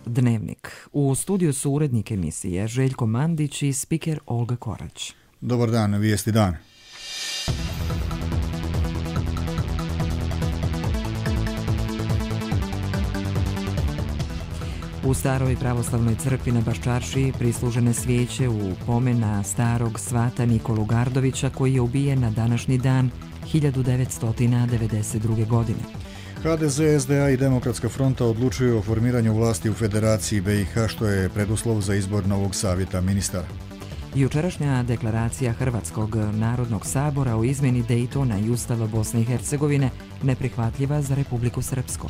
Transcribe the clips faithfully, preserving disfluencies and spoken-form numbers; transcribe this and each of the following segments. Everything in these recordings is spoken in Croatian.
Dnevnik. U studiju su urednik emisije Željko Mandić i spiker Olga Korać. Dobar dan, vijesti dan. U staroj pravoslavnoj crkvi na Baščaršiji prislužene svijeće u pomen na starog svata Nikolu Gardovića koji je ubijen na današnji dan hiljadu devetsto devedeset druge. godine. ha de ze, es de a i Demokratska fronta odlučuju o formiranju vlasti u Federaciji be i ha, što je preduslov za izbor novog savjeta ministara. Jučerašnja deklaracija Hrvatskog narodnog sabora o izmjeni Dejtona i Ustava Bosne i Hercegovine neprihvatljiva za Republiku Srpsku.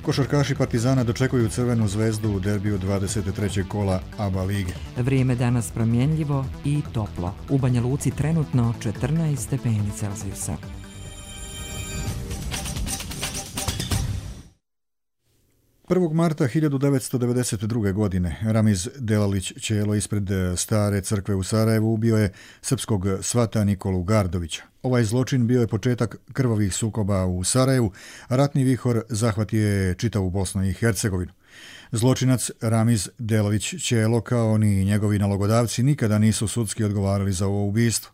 Košarkaši Partizana dočekuju Crvenu zvezdu u derbiju dvadeset trećeg kola A B A lige. Vrijeme danas promjenljivo i toplo. U Banja Luci trenutno četrnaest stepeni Celzijusa. prvog marta hiljadu devetsto devedeset druge. godine Ramiz Delalić Čelo ispred stare crkve u Sarajevu ubio je srpskog svata Nikolu Gardovića. Ovaj zločin bio je početak krvavih sukoba u Sarajevu, a ratni vihor zahvatio je čitavu Bosnu i Hercegovinu. Zločinac Ramiz Delalić Čelo kao ni njegovi nalogodavci nikada nisu sudski odgovarali za ovo ubistvo.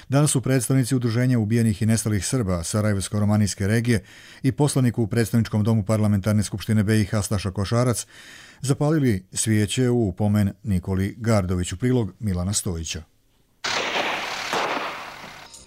Danas su predstavnici Udruženja ubijenih i nestalih Srba Sarajevsko-romanijske regije i poslanik u predstavničkom domu Parlamentarne skupštine be i ha Staša Košarac zapalili svijeće u pomen Nikoli Gardoviću. Prilog Milana Stojića.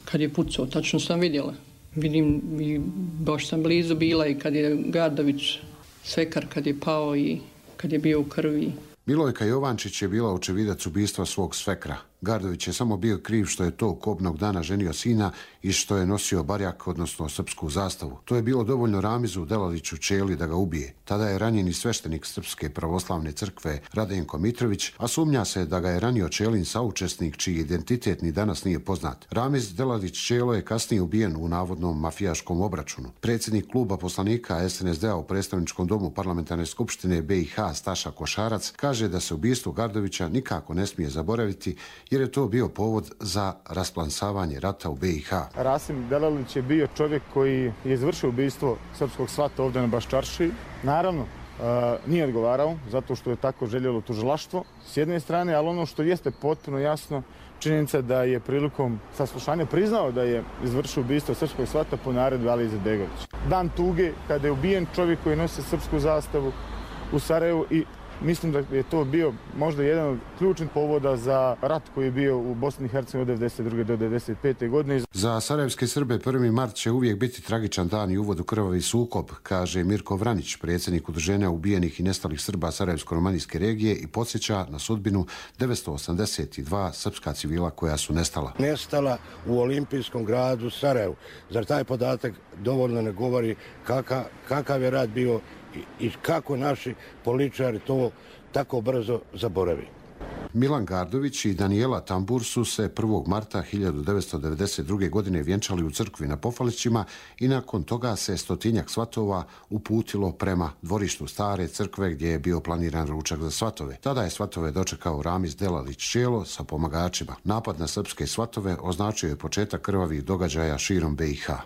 Kad je pucao, tačno sam vidjela. Vidim i baš sam blizu bila i kad je Gardović svekar, kad je pao i kad je bio u krvi. Milojka Jovančić je bila očevidac ubistva svog svekra. Gardović je samo bio kriv što je tog kobnog dana ženio sina i što je nosio barjak, odnosno srpsku zastavu. To je bilo dovoljno Ramizu Delaliću Čeli da ga ubije. Tada je ranjeni sveštenik Srpske pravoslavne crkve Radenko Mitrović, a sumnja se da ga je ranio Čelin saučesnik čiji identitet ni danas nije poznat. Ramiz Delalić Čelo je kasnije ubijen u navodnom mafijaškom obračunu. Predsjednik kluba poslanika es en es de a u predstavničkom domu Parlamentarne skupštine be i ha Staša Košarac kaže da se ubistvo Gardovića nikako ne smije zaboraviti jer je to bio povod za rasplansavanje rata u be i ha. Rasim Delalić je bio čovjek koji je izvršio ubistvo srpskog svata ovdje na Baščaršiji. Naravno, uh, nije odgovarao zato što je tako željelo tužilaštvo s jedne strane, ali ono što jeste potpuno jasno, činjenica da je prilikom saslušanja priznao da je izvršio ubistvo srpskog svata po naredbi Alije Izetbegovića. Dan tuge kada je ubijen čovjek koji nosi srpsku zastavu u Sarajevu i mislim da je to bio možda jedan od ključnih povoda za rat koji je bio u Bosni i Hercegovini od devedeset druge do devedeset pete. godine. Za sarajevske Srbe prvi mart će uvijek biti tragičan dan i uvod u krvavi sukob, kaže Mirko Vranić, predsjednik Udruženja ubijenih i nestalih Srba Sarajevsko-romanijske regije i podsjeća na sudbinu devetsto osamdeset dva srpska civila koja su nestala. Nestala u olimpijskom gradu Sarajevu. Zar taj podatak dovoljno ne govori kakav, kakav je rat bio i kako naši političari to tako brzo zaboravi. Milan Gardović i Danijela Tambur su se prvog marta hiljadu devetsto devedeset druge. godine vjenčali u crkvi na Pofalićima i nakon toga se stotinjak svatova uputilo prema dvorištu stare crkve gdje je bio planiran ručak za svatove. Tada je svatove dočekao Ramiz Delalić Čelo sa pomagačima. Napad na srpske svatove označio je početak krvavih događaja širom be i ha.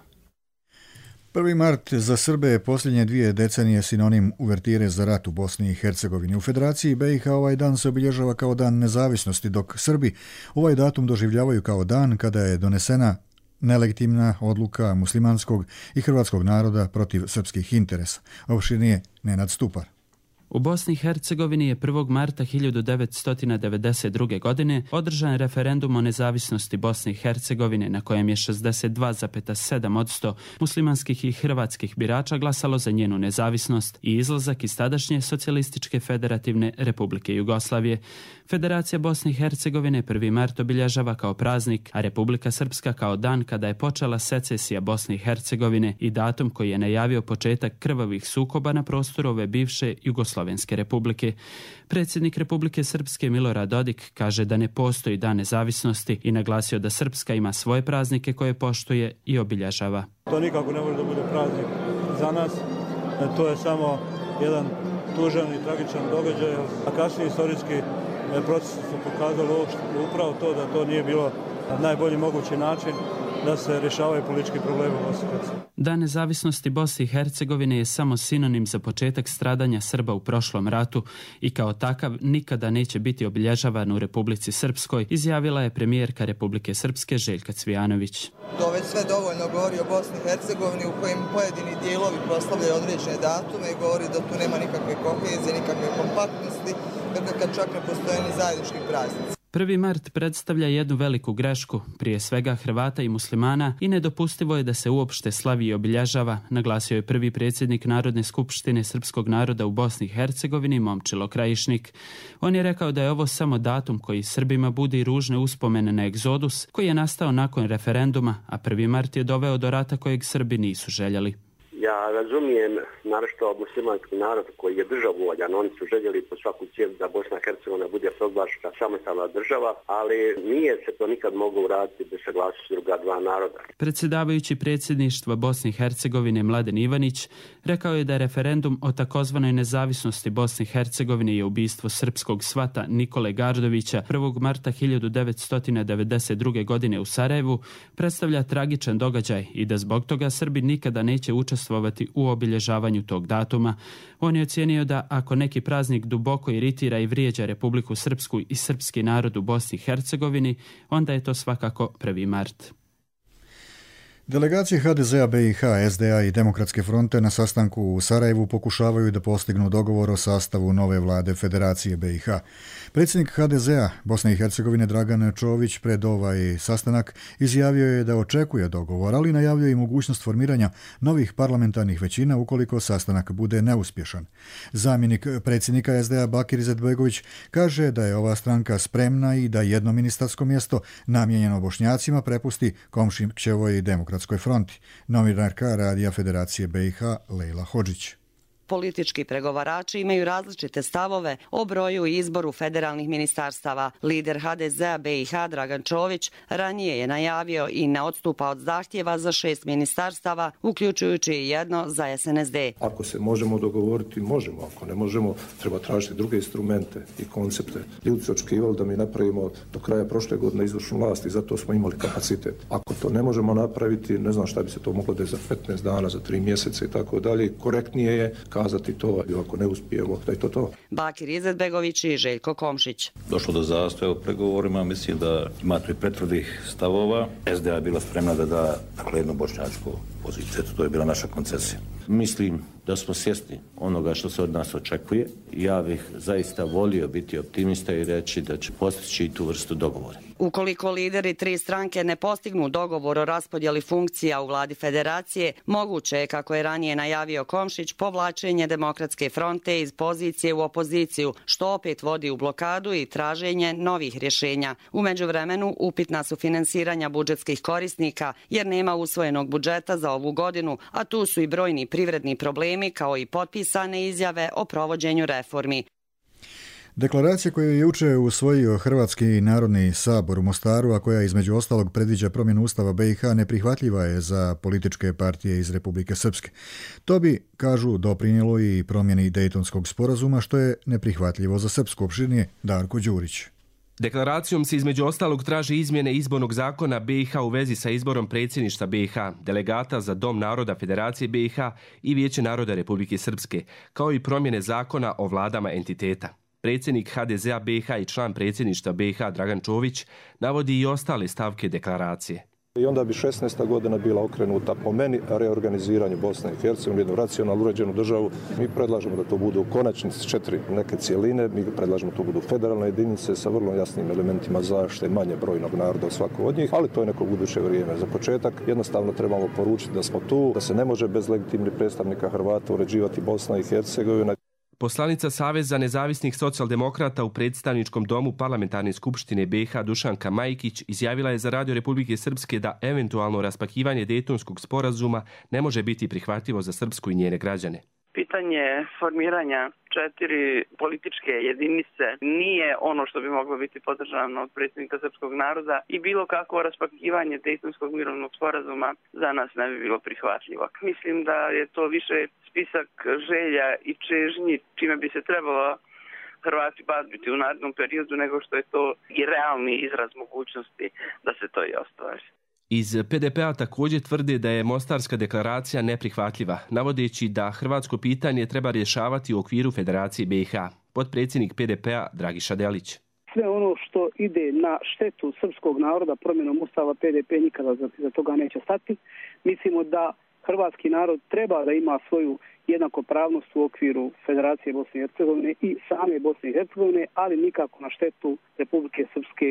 prvi mart za Srbe je posljednje dvije decenije sinonim uvertire za rat u Bosni i Hercegovini. U Federaciji be i ha ovaj dan se obilježava kao dan nezavisnosti, dok Srbi ovaj datum doživljavaju kao dan kada je donesena nelegitimna odluka muslimanskog i hrvatskog naroda protiv srpskih interesa. Opširnije Nenad Stupar. U Bosni i Hercegovini je prvog marta hiljadu devetsto devedeset druge. godine održan referendum o nezavisnosti Bosne i Hercegovine na kojem je šezdeset dva zarez sedam posto muslimanskih i hrvatskih birača glasalo za njenu nezavisnost i izlazak iz tadašnje Socijalističke federativne Republike Jugoslavije. Federacija Bosne i Hercegovine prvi mart obilježava kao praznik, a Republika Srpska kao dan kada je počela secesija Bosne i Hercegovine i datum koji je najavio početak krvavih sukoba na prostoru ove bivše Jugoslovenske republike. Predsjednik Republike Srpske Milorad Dodik kaže da ne postoji dan nezavisnosti i naglasio da Srpska ima svoje praznike koje poštuje i obilježava. To nikako ne može da bude praznik za nas, to je samo jedan tužan i tragičan događaj, a kasnije istorijski procesi su pokazali upravo to da to nije bilo na najbolji mogući način da se rješavaju politički problemi u Bosni i Hercegovini. Dan nezavisnosti Bosne i Hercegovine je samo sinonim za početak stradanja Srba u prošlom ratu i kao takav nikada neće biti obilježavan u Republici Srpskoj, izjavila je premijerka Republike Srpske Željka Cvijanović. To već sve dovoljno govori o Bosni i Hercegovini u kojem pojedini dijelovi proslavljaju određene datume i govori da tu nema nikakve kohezije, nikakve kompaktnosti, dakle kad čak ne postoje ni zajednički praznici. prvi mart predstavlja jednu veliku grešku, prije svega Hrvata i muslimana, i nedopustivo je da se uopšte slavi i obilježava, naglasio je prvi predsjednik Narodne skupštine srpskog naroda u Bosni i Hercegovini, Momčilo Krajišnik. On je rekao da je ovo samo datum koji Srbima budi ružne uspomene na egzodus koji je nastao nakon referenduma, a prvi mart je doveo do rata kojeg Srbi nisu željeli. Ja razumijem naročito muslimanski narod koji je državovoljan, oni su željeli po svaku cijenu da Bosna i Hercegovina bude proglašena samostalna država, ali nije se to nikad moglo uraditi bez saglasnosti druga dva naroda. Predsjedavajući predsjedništva Bosne i Hercegovine Mladen Ivanić rekao je da je referendum o takozvanoj nezavisnosti Bosne i Hercegovine i ubistvo srpskog svata Nikole Gardovića prvog marta hiljadu devetsto devedeset druge. godine u Sarajevu predstavlja tragičan događaj i da zbog toga Srbi nikada neće učestvovati u obilježavanju tog datuma. On je ocijenio da ako neki praznik duboko iritira i vrijeđa Republiku Srpsku i srpski narod u Bosni i Hercegovini, onda je to svakako prvi mart. Delegacije ha de zea be i ha, es de a i Demokratske fronte na sastanku u Sarajevu pokušavaju da postignu dogovor o sastavu nove vlade Federacije be i ha. Predsjednik ha de zea Bosne i Hercegovine Dragan Čović pred ovaj sastanak izjavio je da očekuje dogovor, ali najavljuje i mogućnost formiranja novih parlamentarnih većina ukoliko sastanak bude neuspješan. Zamjenik predsjednika es de a Bakir Izetbegović kaže da je ova stranka spremna i da jedno ministarsko mjesto namijenjeno Bošnjacima prepusti Komšićevoj Demokratskoj fronti. Novinarka Radija Federacije be i ha Lejla Hodžić. Politički pregovarači imaju različite stavove o broju i izboru federalnih ministarstava. Lider ha de zea be i ha Dragan Čović ranije je najavio i ne odstupa od zahtjeva za šest ministarstava, uključujući i jedno za es en es de. Ako se možemo dogovoriti, možemo. Ako ne možemo, treba tražiti druge instrumente i koncepte. Ljudi su očekivali da mi napravimo do kraja prošle godine izvršnu vlast i zato smo imali kapacitet. Ako to ne možemo napraviti, ne znam šta bi se to moglo da je za petnaest dana, za tri mjeseca i tako dalje. Korektnije je kazati to, i ako ne uspijemo, da je to to. Bakir Izetbegović i Željko Komšić. Došlo do zastoja u pregovorima, mislim da ima tu i pretvrdih stavova. es de a je bila spremna da da dakle, jednu bošnjačku poziciju, to je bila naša koncesija. Mislim da smo svjesni onoga što se od nas očekuje. Ja bih zaista volio biti optimista i reći da će postići tu vrstu dogovora. Ukoliko lideri tri stranke ne postignu dogovor o raspodjeli funkcija u vladi federacije, moguće je, kako je ranije najavio Komšić, povlačenje Demokratske fronte iz pozicije u opoziciju, što opet vodi u blokadu i traženje novih rješenja. U međuvremenu upitna su finansiranja budžetskih korisnika, jer nema usvojenog budžeta za ovu godinu, a tu su i brojni privredni problemi kao i potpisane izjave o provođenju reformi. Deklaracija koju je juče usvojio Hrvatski narodni sabor u Mostaru, a koja između ostalog predviđa promjenu Ustava be i ha, neprihvatljiva je za političke partije iz Republike Srpske. To bi, kažu, doprinijelo i promjeni Dejtonskog sporazuma, što je neprihvatljivo za srpsko. Opširnije Darko Đurić. Deklaracijom se između ostalog traži izmjene izbornog zakona be i ha u vezi sa izborom predsjedništva be i ha, delegata za Dom naroda Federacije be i ha i Vijeće naroda Republike Srpske, kao i promjene zakona o vladama entiteta. Predsjednik ha de zea be i ha i član predsjedništva be i ha Dragan Čović navodi i ostale stavke deklaracije. I onda bi šesnaesta godina bila okrenuta po meni reorganiziranju Bosne i Hercegovine, jednu racionalnu uređenu državu. Mi predlažemo da to budu u konačnici četiri neke cijeline, mi predlažemo da to budu federalne jedinice sa vrlo jasnim elementima zaštite manje brojnog naroda od svakog od njih, ali to je neko buduće vrijeme. Za početak jednostavno trebamo poručiti da smo tu, da se ne može bez legitimnih predstavnika Hrvata uređivati Bosna i Hercegovina. Poslanica Saveza nezavisnih socijaldemokrata u predstavničkom domu Parlamentarne skupštine be i ha Dušanka Majkić izjavila je za Radio Republike Srpske da eventualno raspakivanje Dejtonskog sporazuma ne može biti prihvatljivo za Srpsku i njene građane. Pitanje formiranja četiri političke jedinice nije ono što bi moglo biti podržano od predsjednika srpskog naroda i bilo kako raspakivanje Dejtonskog mirovnog sporazuma za nas ne bi bilo prihvatljivo. Mislim da je to više spisak želja i čežnji čime bi se trebalo Hrvati baviti u narednom periodu nego što je to i realni izraz mogućnosti da se to i ostvari. Iz P D P-a također tvrde da je Mostarska deklaracija neprihvatljiva, navodeći da hrvatsko pitanje treba rješavati u okviru Federacije B i H. Potpredsjednik P D P-a Dragiša Delić. Sve ono što ide na štetu srpskog naroda promjenom Ustava P D P nikada za toga neće stati. Mislimo da hrvatski narod treba da ima svoju jednakopravnost u okviru Federacije Bosne i Hercegovine i same Bosne i Hercegovine, ali nikako na štetu Republike Srpske.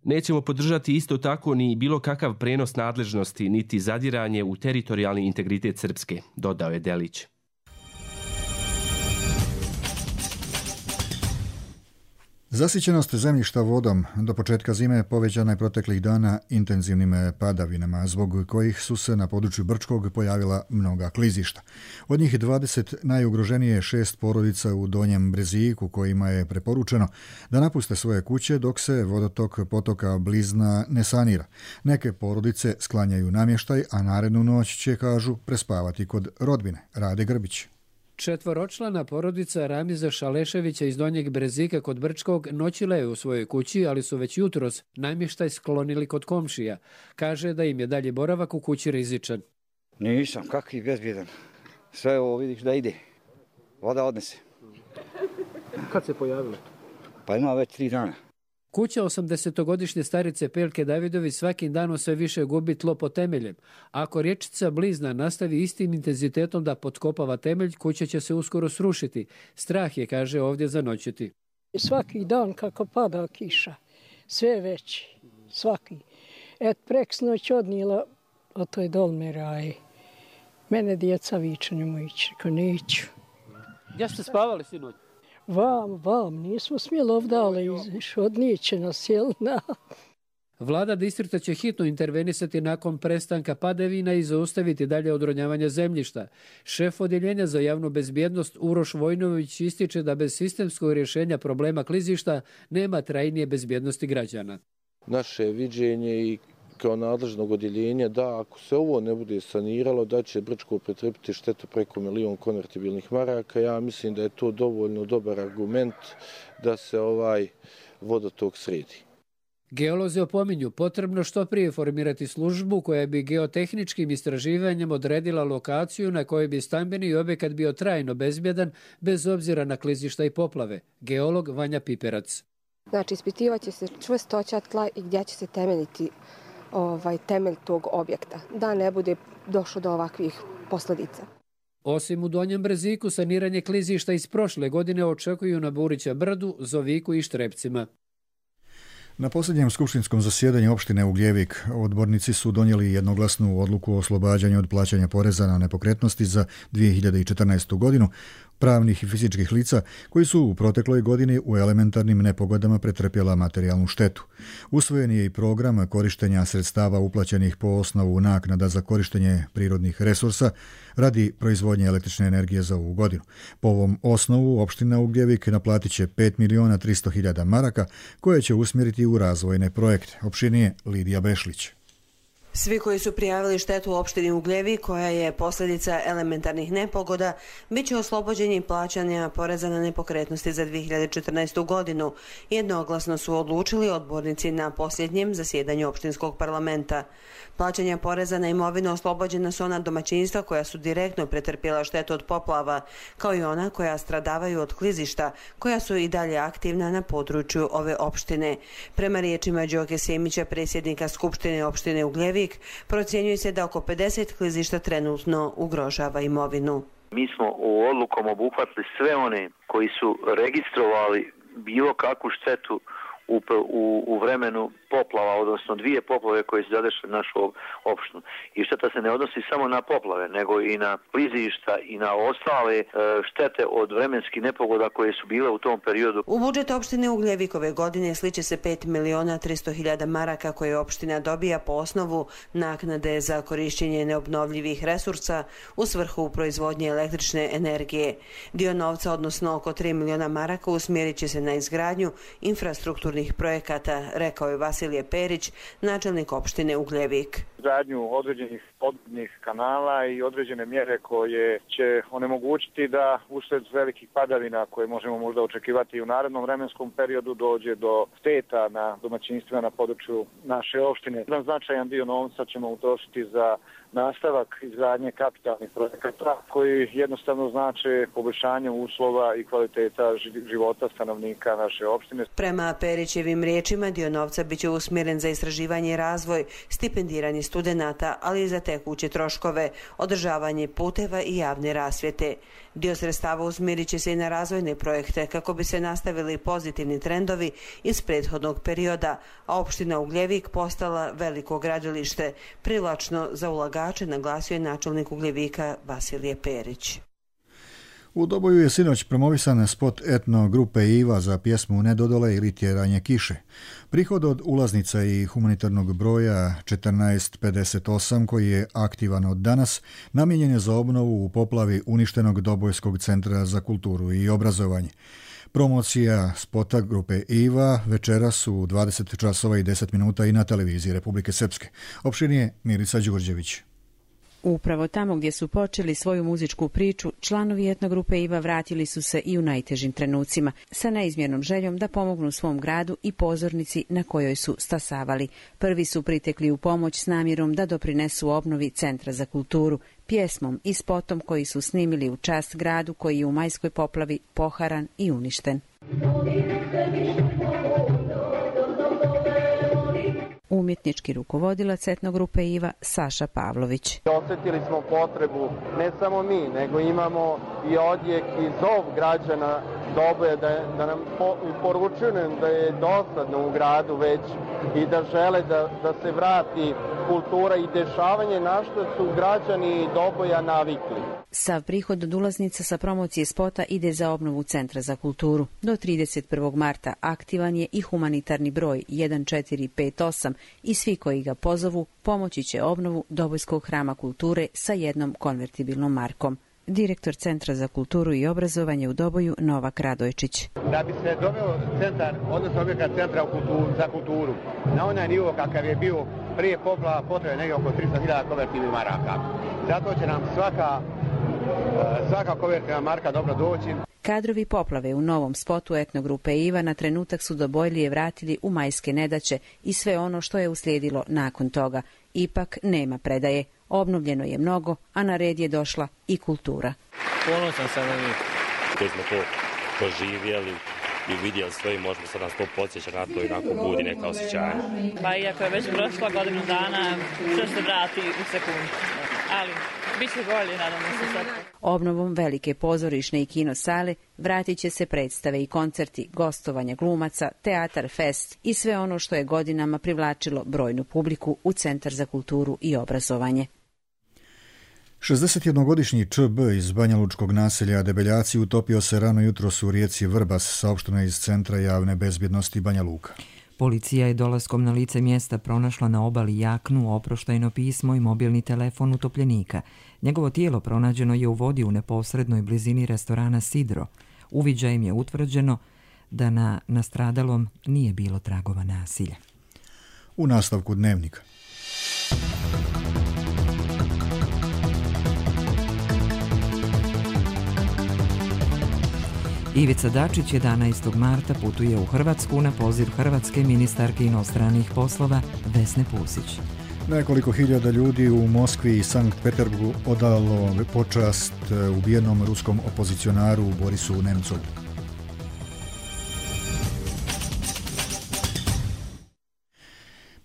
Nećemo podržati isto tako ni bilo kakav prenos nadležnosti, niti zadiranje u teritorijalni integritet Srpske, dodao je Delić. Zasićenost zemljišta vodom do početka zime povećana je proteklih dana intenzivnim padavinama, zbog kojih su se na području Brčkog pojavila mnoga klizišta. Od njih dvadeset najugroženije šest porodica u Donjem Breziku, kojima je preporučeno da napuste svoje kuće dok se vodotok potoka Blizna ne sanira. Neke porodice sklanjaju namještaj, a narednu noć će, kažu, prespavati kod rodbine. Rade Grbić. Četvoročlana porodica Ramiza Šaleševića iz Donjeg Brezika kod Brčkog noćila je u svojoj kući, ali su već jutros namještaj sklonili kod komšija. Kaže da im je dalje boravak u kući rizičan. Nisam, kakvi bezbjedan. Sve ovo vidiš da ide. Voda odnese. Kad se pojavilo? Pa ima već tri dana. Kuća osamdesetogodišnje starice Pelke Davidović svakim danom sve više gubi tlo pod temeljem. Ako rječica Blizna nastavi istim intenzitetom da potkopava temelj, kuća će se uskoro srušiti. Strah je, kaže, ovdje zanoćiti. Svaki dan kako pada kiša, sve veći, svaki. Et preksnoć odnijela o toj dolme raje. Mene djeca viče, nemoj ići, ko neću. Gdje ste spavali sinoć? Vam, vam, nismo smjeli ovdje, ali odnijeće nas, jel na... Vlada distrikta će hitno intervenisati nakon prestanka padavina i zaustaviti dalje odronjavanje zemljišta. Šef odjeljenja za javnu bezbjednost Uroš Vojnović ističe da bez sistemskog rješenja problema klizišta nema trajnije bezbjednosti građana. Naše viđenje i kao nadležnog odjeljenja da ako se ovo ne bude saniralo da će Brčko pretrpiti štetu preko milion konvertibilnih maraka. Ja mislim da je to dovoljno dobar argument da se ovaj vodotok sredi. Geolozi opominju potrebno što prije formirati službu koja bi geotehničkim istraživanjem odredila lokaciju na kojoj bi stambeni objekat bio trajno bezbjedan bez obzira na klizišta i poplave. Geolog Vanja Piperac. Znači, ispitivaće se čvrstoća tla i gdje će se temeljiti ovaj temelj tog objekta, da ne bude došlo do ovakvih posljedica. Osim u Donjem Breziku, saniranje klizišta iz prošle godine očekuju na Burića Brdu, Zoviku i Štrepcima. Na posljednjem skupštinskom zasjedanju opštine Ugljevik odbornici su donijeli jednoglasnu odluku o oslobađanju od plaćanja poreza na nepokretnosti za dvije hiljade četrnaestu. godinu pravnih i fizičkih lica koji su u protekloj godini u elementarnim nepogodama pretrpjela materijalnu štetu. Usvojen je i program korištenja sredstava uplaćenih po osnovu naknada za korištenje prirodnih resursa radi proizvodnje električne energije za ovu godinu. Po ovom osnovu opština Ugljevik naplatit će pet miliona tristo hiljada maraka koje će usmjeriti u razvojne projekte. Opštinije Lidija Bešlić. Svi koji su prijavili štetu u opštini Ugljevik, koja je posljedica elementarnih nepogoda, bit će oslobođeni plaćanja poreza na nepokretnosti za dvije hiljade četrnaestu. godinu. Jednoglasno su odlučili odbornici na posljednjem zasjedanju opštinskog parlamenta. Plaćanja poreza na imovinu oslobođena su ona domaćinstva koja su direktno pretrpjela štetu od poplava, kao i ona koja stradavaju od klizišta, koja su i dalje aktivna na području ove opštine. Prema riječima Đoke Semića, predsjednika Skupštine opštine Ugljevik, procjenjuje se da oko pedeset klizišta trenutno ugrožava imovinu. Mi smo u odlukom obuhvatili sve one koji su registrovali bilo kakvu štetu U, u, u vremenu poplava, odnosno dvije poplave koje su zadešle našu opštinu. I šteta se ne odnosi samo na poplave, nego i na klizišta i na ostale e, štete od vremenskih nepogoda koje su bile u tom periodu. U budžet opštine Ugljevik ove godine sliče se pet miliona tristo hiljada maraka koje opština dobija po osnovu naknade za korišćenje neobnovljivih resursa u svrhu proizvodnje električne energije. Dio novca, odnosno oko tri miliona maraka, usmjerit će se na izgradnju infrastrukturnih kulturnih projekata, rekao je Vasilije Perić, načelnik opštine Ugljevik. Gradnju određenih podvodnih kanala i određene mjere koje će onemogućiti da usred velikih padavina koje možemo možda očekivati u narednom vremenskom periodu dođe do šteta na domaćinstvima na području naše opštine. Jedan značajan dio novca ćemo utrošiti za nastavak izgradnje kapitalnih projekata koji jednostavno znače poboljšanje uslova i kvaliteta života stanovnika naše opštine. Prema Perićevim riječima dio novca biće usmjeren za istraživanje i razvoj, stipendiranje studenata, ali i za tekuće troškove, održavanje puteva i javne rasvjete. Dio sredstava usmjerit će se i na razvojne projekte kako bi se nastavili pozitivni trendovi iz prethodnog perioda, a opština Ugljevik postala veliko gradilište, privlačno za ulagače, naglasio je načelnik Ugljevika Vasilije Perić. U Doboju je sinoć promovisan spot etno grupe Iva za pjesmu Ne dodole ili Tjeranje kiše. Prihod od ulaznica i humanitarnog broja četrnaest pedeset osam, koji je aktivan od danas, namijenjen je za obnovu u poplavi uništenog Dobojskog centra za kulturu i obrazovanje. Promocija spota grupe Iva večeras u dvadeset časova i deset minuta i na televiziji Republike Srpske. Opširnije Milica Đurđević. Upravo tamo gdje su počeli svoju muzičku priču, članovi etnogrupe Iva vratili su se i u najtežim trenucima, sa neizmjernom željom da pomognu svom gradu i pozornici na kojoj su stasavali. Prvi su pritekli u pomoć s namjerom da doprinesu obnovi Centra za kulturu, pjesmom i spotom koji su snimili u čast gradu koji je u majskoj poplavi poharan i uništen. Umjetnički rukovodilac etnogrupe Iva Saša Pavlović. Osjetili smo potrebu, ne samo mi, nego imamo i odjek i zov građana Doboja da, da nam po, poručuju da je dosadno u gradu već i da žele da, da se vrati kultura i dešavanje na što su građani Doboja navikli. Sav prihod od ulaznica sa promocije spota ide za obnovu Centra za kulturu. Do trideset prvog marta aktivan je i humanitarni broj jedan četiri pet osam i svi koji ga pozovu pomoći će obnovu Dobojskog hrama kulture sa jednom konvertibilnom markom. Direktor Centra za kulturu i obrazovanje u Doboju Novak Radojčić. Da bi se doveo centar, odnosno objekat Centra u kulturu, za kulturu na onaj nivo kakav je bio prije poplava, potrebno negdje oko tristo hiljada konvertibilnih maraka. Zato će nam svaka, svaka konvertibilna marka dobro doći. Kadrovi poplave u novom spotu etnogrupe Iva na trenutak su Dobojlije vratili u majske nedaće i sve ono što je uslijedilo nakon toga. Ipak nema predaje. Obnovljeno je mnogo, a na red je došla i kultura. Ponosan sam na njih koji smo to proživjeli i vidjeli sve i možemo sad nas to podsjeća na to i nakon budi neka osjećanja. Pa iako je već prošla godinu dana, što se vrati u sekundu, ali bit će bolje, nadamo se sad. Obnovom velike pozorišne i kino sale vratit će se predstave i koncerti, gostovanja glumaca, teatar, fest i sve ono što je godinama privlačilo brojnu publiku u Centar za kulturu i obrazovanje. šezdesetjednogodišnji Č B iz banjalučkog naselja Debeljaci utopio se rano jutros u rijeci Vrbas, saopšteno iz Centra javne bezbjednosti Banja Luka. Policija je dolaskom na lice mjesta pronašla na obali jaknu, oproštajno pismo i mobilni telefon utopljenika. Njegovo tijelo pronađeno je u vodi u neposrednoj blizini restorana Sidro. Uviđajem je utvrđeno da na nastradalom nije bilo tragova nasilja. U nastavku dnevnika. Ivica Dačić jedanaestog marta putuje u Hrvatsku na poziv hrvatske ministarke inostranih poslova Vesne Pusić. Nekoliko hiljada ljudi u Moskvi i Sankt Peterburgu odalo počast ubijenom ruskom opozicionaru Borisu Nemcovu.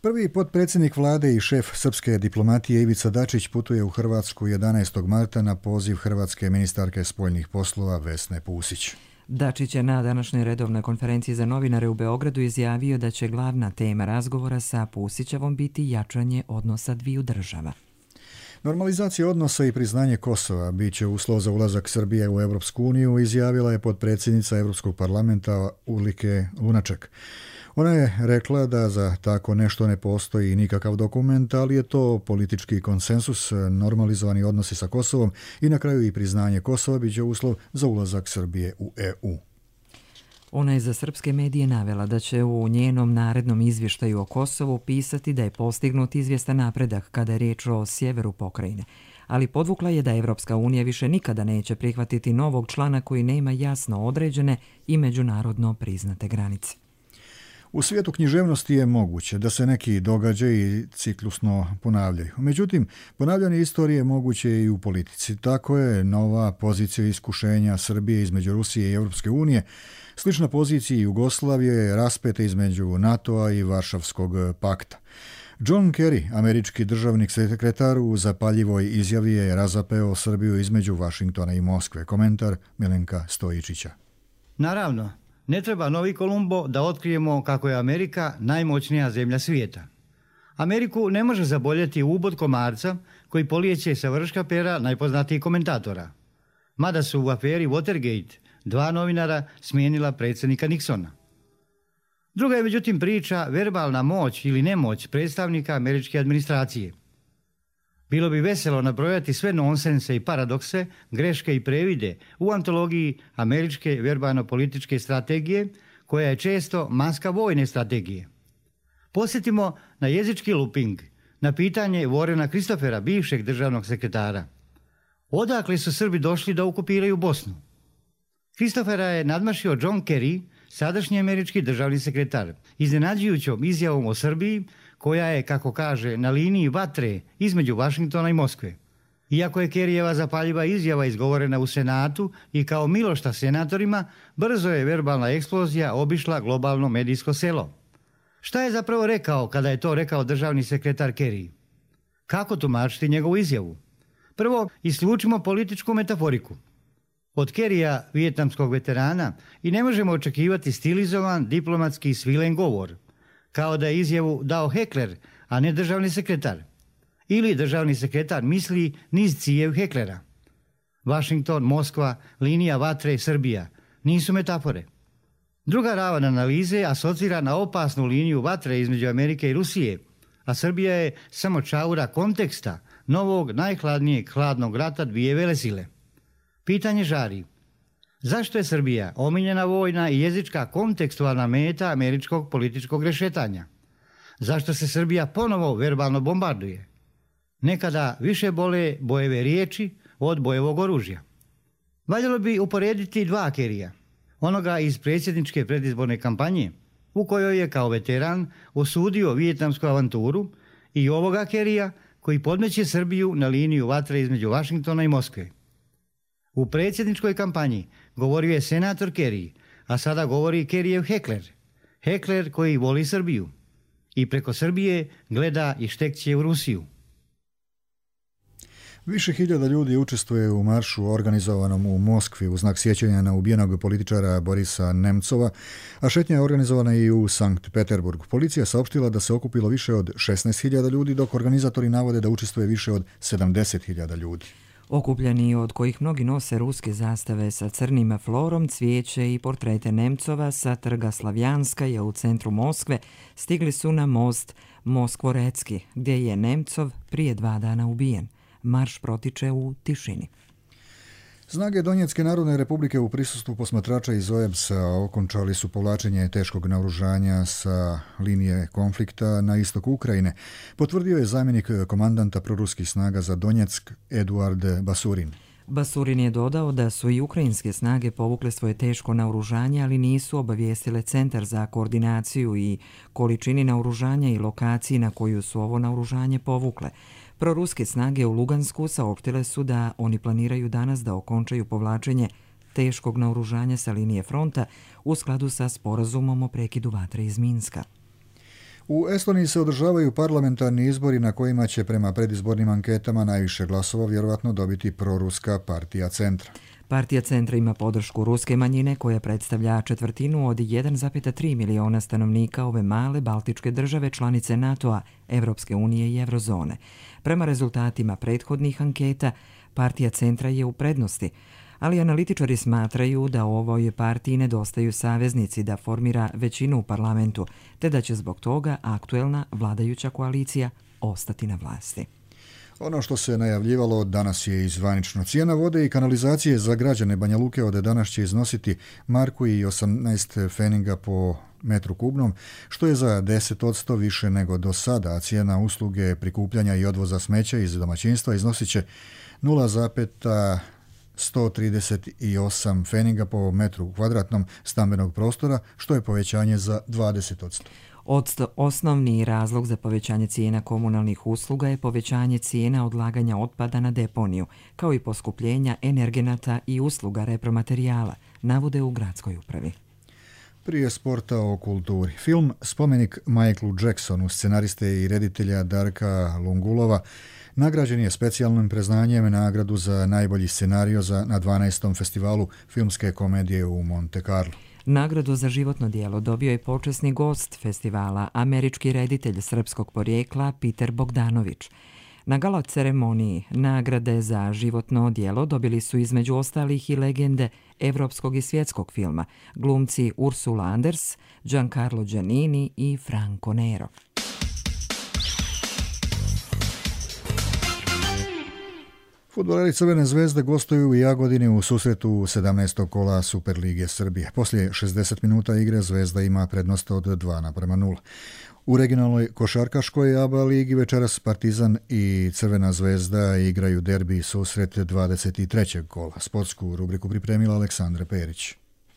Prvi potpredsjednik vlade i šef srpske diplomatije Ivica Dačić putuje u Hrvatsku jedanaestog marta na poziv hrvatske ministarke spoljnih poslova Vesne Pusić. Dačić je na današnjoj redovnoj konferenciji za novinare u Beogradu izjavio da će glavna tema razgovora sa Pusićevom biti jačanje odnosa dviju država. Normalizacija odnosa i priznanje Kosova bit će uslov za ulazak Srbije u Evropsku uniju, izjavila je potpredsjednica Evropskog parlamenta Ulrike Lunaček. Ona je rekla da za tako nešto ne postoji nikakav dokument, ali je to politički konsensus, normalizovani odnosi sa Kosovom i na kraju i priznanje Kosova bit će uslov za ulazak Srbije u E U. Ona je za srpske medije navela da će u njenom narednom izvještaju o Kosovu pisati da je postignut izvjestan napredak kada je riječ o sjeveru pokrajine, ali podvukla je da Evropska unija više nikada neće prihvatiti novog člana koji nema jasno određene i međunarodno priznate granice. U svijetu književnosti je moguće da se neki događaji ciklusno ponavljaju. Međutim, ponavljanje istorije moguće je i u politici. Tako je nova pozicija iskušenja Srbije između Rusije i Europske unije, slična poziciji Jugoslavije je raspeta između NATO-a i Varšavskog pakta. John Kerry, američki državnik sekretar, u zapaljivoj izjavi je razapeo Srbiju između Vašingtona i Moskve. Komentar Milenka Stojičića. Naravno, ne treba novi Kolumbo da otkrijemo kako je Amerika najmoćnija zemlja svijeta. Ameriku ne može zaboljeti ubod komarca koji polijeće sa vrška pera najpoznatijih komentatora. Mada su u aferi Watergate dva novinara smijenila predsjednika Nixona. Druga je međutim priča verbalna moć ili nemoć predstavnika američke administracije. Bilo bi veselo nabrojati sve nonsense i paradokse, greške i previde u antologiji američke verbalno-političke strategije, koja je često maska vojne strategije. Posjetimo na jezički looping, na pitanje Warrena Christophera, bivšeg državnog sekretara. Odakle su Srbi došli da okupiraju Bosnu? Christophera je nadmašio John Kerry, sadašnji američki državni sekretar, iznenađujućom izjavom o Srbiji, koja je, kako kaže, na liniji vatre između Vašingtona i Moskve. Iako je Kerryjeva zapaljiva izjava izgovorena u Senatu i kao milošta senatorima, brzo je verbalna eksplozija obišla globalno medijsko selo. Šta je zapravo rekao kada je to rekao državni sekretar Kerry? Kako tumačiti njegovu izjavu? Prvo, isključimo političku metaforiku. Od Kerrya, vijetnamskog veterana, i ne možemo očekivati stilizovan, diplomatski svilen govor, kao da je izjavu dao hekler, a ne državni sekretar. Ili državni sekretar misli niz cijev heklera. Vašington, Moskva, linija vatre, Srbija nisu metafore. Druga ravan analize asocira na opasnu liniju vatre između Amerike i Rusije, a Srbija je samo čaura konteksta novog najhladnijeg hladnog rata dvije velesile. Pitanje žari. Zašto je Srbija omiljena vojna i jezička kontekstualna meta američkog političkog rešetanja? Zašto se Srbija ponovo verbalno bombarduje? Nekada više bole bojeve riječi od bojevog oružja. Valjalo bi uporediti dva Kerrya. Onoga iz predsjedničke predizborne kampanje, u kojoj je kao veteran osudio vijetnamsku avanturu, i ovoga Kerrya koji podmeće Srbiju na liniju vatre između Vašingtona i Moskve. U predsjedničkoj kampanji govorio je senator Kerry, a sada govori Kerryjev hekler. Hekler koji voli Srbiju i preko Srbije gleda i štekće u Rusiju. Više hiljada ljudi učestvuje u maršu organizovanom u Moskvi u znak sjećanja na ubijenog političara Borisa Nemcova, a šetnja je organizovana i u Sankt Peterburgu. Policija saopštila da se okupilo više od šesnaest hiljada ljudi, dok organizatori navode da učestvuje više od sedamdeset hiljada ljudi. Okupljeni, od kojih mnogi nose ruske zastave sa crnim florom, cvijeće i portrete Nemcova sa trga Slavjanskaja u centru Moskve, stigli su na most Moskvorecki, gdje je Nemcov prije dva dana ubijen. Marš protiče u tišini. Snage Donjecke narodne republike u prisustvu posmatrača iz O E B S-a okončali su povlačenje teškog naoružanja sa linije konflikta na istoku Ukrajine, potvrdio je zamjenik komandanta proruskih snaga za Donjeck Eduard Basurin. Basurin je dodao da su i ukrajinske snage povukle svoje teško naoružanje, ali nisu obavijestile Centar za koordinaciju i količini naoružanja i lokaciji na koju su ovo naoružanje povukle. Proruske snage u Lugansku saopštile su da oni planiraju danas da okončaju povlačenje teškog naoružanja sa linije fronta u skladu sa sporazumom o prekidu vatre iz Minska. U Estoniji se održavaju parlamentarni izbori na kojima će prema predizbornim anketama najviše glasova vjerovatno dobiti proruska partija Centra. Partija Centra ima podršku ruske manjine koja predstavlja četvrtinu od jedan zarez tri miliona stanovnika ove male baltičke države članice NATO-a, Evropske unije i Eurozone. Prema rezultatima prethodnih anketa, partija Centra je u prednosti, ali analitičari smatraju da ovoj partiji nedostaju saveznici da formira većinu u parlamentu, te da će zbog toga aktuelna vladajuća koalicija ostati na vlasti. Ono što se najavljivalo danas je i zvanično. Cijena vode i kanalizacije za građane Banja Luke od danas će iznositi marku i osamnaest feninga po metru kubnom, što je za deset posto više nego do sada, a cijena usluge prikupljanja i odvoza smeća iz domaćinstva iznosit će nula zarez sto trideset osam feninga po metru kvadratnom stambenog prostora, što je povećanje za dvadeset posto. Osnovni razlog za povećanje cijena komunalnih usluga je povećanje cijena odlaganja otpada na deponiju, kao i poskupljenja energenata i usluga repromaterijala, navode u gradskoj upravi. Prije sporta o kulturi. Film Spomenik Michaelu Jacksonu, scenariste i reditelja Darka Lungulova, nagrađen je specijalnim priznanjem nagradu za najbolji scenario za, na dvanaestom festivalu filmske komedije u Monte Carlo. Nagradu za životno djelo dobio je počasni gost festivala, američki reditelj srpskog porijekla Peter Bogdanović. Na gala ceremoniji nagrade za životno djelo dobili su između ostalih i legende evropskog i svjetskog filma, glumci Ursula Anders, Giancarlo Giannini i Franco Nero. Fudbaleri Crvene zvezde gostuju u Jagodini u susretu sedamnaestog kola Superlige Srbije. Poslije šezdeset minuta igre Zvezda ima prednost od dva naprema nula. U regionalnoj košarkaškoj A B A ligi večeras Partizan i Crvena zvezda igraju derbi susret dvadeset trećeg kola. Sportsku rubriku pripremila Aleksandra Perić.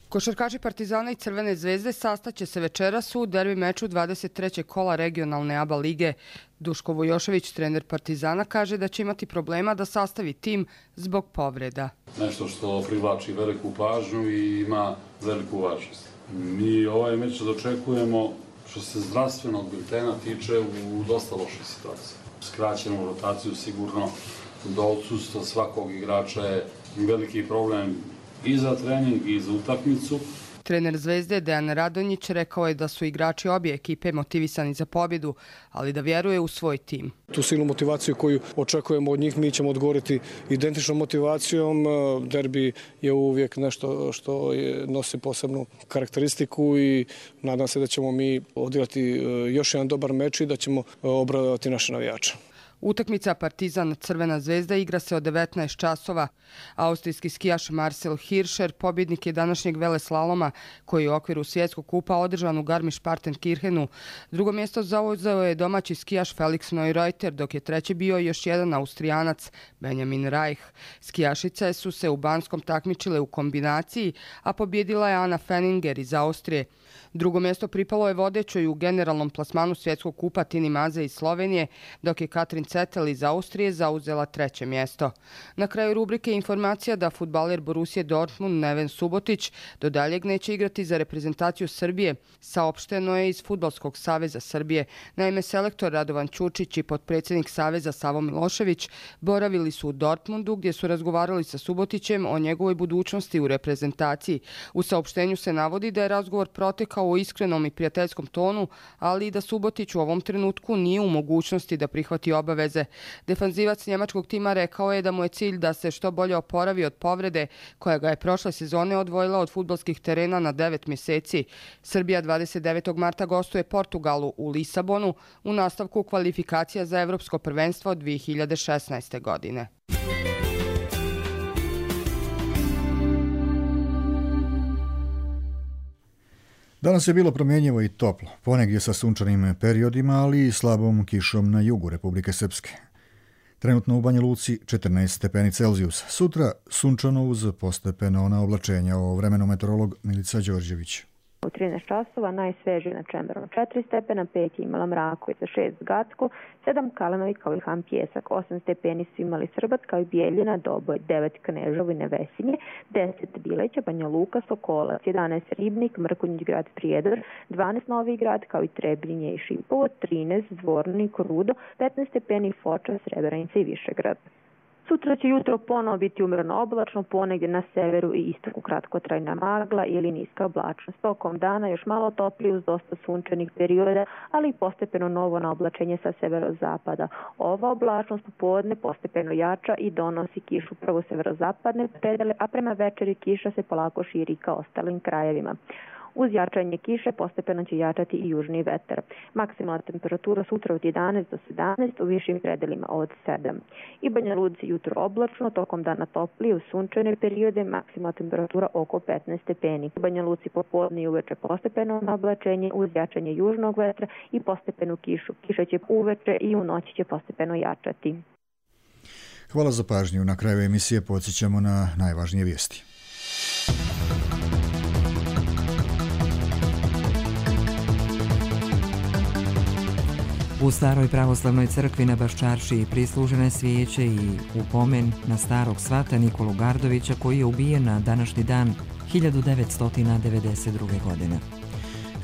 Košarkaši Partizana i Crvene zvezde sastaće se večeras u derbi meču dvadeset trećeg kola regionalne A B A lige. Duško Vojošević, trener Partizana, kaže da će imati problema da sastavi tim zbog povreda. Nešto što privlači veliku pažnju i ima veliku važnost. Mi ovaj meč dočekujemo što se zdravstvenog biltena tiče u dosta lošoj situaciji. Skraćenu rotaciju sigurno do odsustva svakog igrača je veliki problem i za trening i za utakmicu. Trener Zvezde Dejan Radonjić rekao je da su igrači obje ekipe motivisani za pobjedu, ali da vjeruje u svoj tim. Tu silnu motivaciju koju očekujemo od njih mi ćemo odgovoriti identičnom motivacijom. Derbi je uvijek nešto što je, nosi posebnu karakteristiku i nadam se da ćemo mi odigrati još jedan dobar meč i da ćemo obradovati naše navijače. Utakmica Partizan Crvena zvezda igra se od devetnaest časova. Austrijski skijaš Marcel Hirscher pobjednik je današnjeg veleslaloma koji je u okviru svjetskog kupa održan u Garmisch-Partenkirchenu. Drugo mjesto zauzeo je domaći skijaš Felix Neureuter, dok je treći bio još jedan Austrijanac, Benjamin Reich. Skijašice su se u Banskom takmičile u kombinaciji, a pobjedila je Ana Fenninger iz Austrije. Drugo mjesto pripalo je vodećoj u generalnom plasmanu svjetskog kupa Tini Maze iz Slovenije, dok je Katrin Cetel iz Austrije zauzela treće mjesto. Na kraju rubrike informacija da fudbaler Borussia Dortmund Neven Subotić do daljeg neće igrati za reprezentaciju Srbije, saopšteno je iz Fudbalskog saveza Srbije. Naime, selektor Radovan Ćučić i potpredsjednik saveza Savo Milošević boravili su u Dortmundu gdje su razgovarali sa Subotićem o njegovoj budućnosti u reprezentaciji. U saopštenju se navodi da je razgovor protekao u iskrenom i prijateljskom tonu, ali i da Subotić u ovom trenutku nije u mogućnosti da prihvati obaveze. Defanzivac njemačkog tima rekao je da mu je cilj da se što bolje oporavi od povrede koja ga je prošle sezone odvojila od fudbalskih terena na devet mjeseci. Srbija dvadeset devetog marta gostuje Portugalu u Lisabonu u nastavku kvalifikacija za Evropsko prvenstvo dvije hiljade šesnaeste. godine. Danas je bilo promjenjivo i toplo, ponegdje sa sunčanim periodima, ali i slabom kišom na jugu Republike Srpske. Trenutno u Banja Luci četrnaest stepeni Celzijusa. Sutra sunčano uz postepeno na oblačenja. O vremenu meteorolog Milica Đorđević. U trinaest časova najsvežije na Čemberom četiri stepena, pet je imala Mrakovica, šest Gacko, sedam Kalanovi kao i Ham Pjesak, osam stepeni su imali Srbac kao i Bijeljina, Doboj, devet Knežovo i Nevesinje, deset Bileća, Banja Luka, Sokolac, jedanaest Ribnik, Mrkonjić grad Prijedor, dvanaest Novi grad kao i Trebinje i Šipovo, trinaest Zvornik, Rudo, petnaest stepeni Foča, Srebrenica i Višegrad. Sutra će jutro ponovo biti umjereno oblačno, ponegdje na severu i istoku kratkotrajna magla ili niska oblačnost. Tokom dana još malo toplije uz dosta sunčanih perioda, ali i postepeno novo na oblačenje sa severozapada. Ova oblačnost popodne postepeno jača i donosi kišu prvo severozapadne predele, a prema večeri kiša se polako širi ka ostalim krajevima. Uz jačanje kiše postepeno će jačati i južni vetar. Maksimalna temperatura sutra od jedanaest do sedamnaest, u višim predelima od sedam. I Banja Luci jutro oblačno, tokom dana toplije, u sunčane periode, maksimalna temperatura oko petnaest stepeni. U Banja Luci popodne i uveče postepeno oblačenje uz jačanje južnog vetra i postepenu kišu. Kiša će uveče i u noći će postepeno jačati. Hvala za pažnju. Na kraju emisije podsjećamo na najvažnije vijesti. U staroj pravoslavnoj crkvi na Baščaršiji prislužene svijeće i upomen na starog svata Nikolu Gardovića koji je ubijen na današnji dan hiljadu devetsto devedeset druge. godine.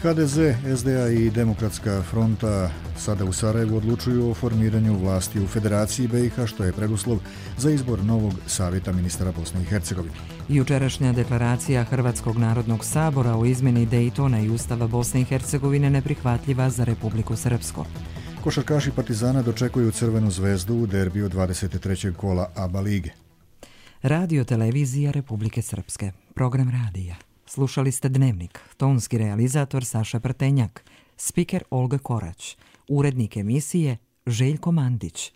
ha de ze, es de a i Demokratska fronta sada u Sarajevu odlučuju o formiranju vlasti u Federaciji be i ha, što je preduslov za izbor novog savjeta ministara Bosne i Hercegovine. Jučerašnja deklaracija Hrvatskog narodnog sabora o izmjeni Dejtona i Ustava Bosne i Hercegovine neprihvatljiva za Republiku Srpsku. Košarkaši Partizana dočekuju Crvenu zvezdu u derbiju dvadeset trećeg kola A B A lige. Radio televizija Republike Srpske. Program radija. Slušali ste Dnevnik. Tonski realizator Saša Prtenjak. Spiker Olga Korać. Urednik emisije Željko Mandić.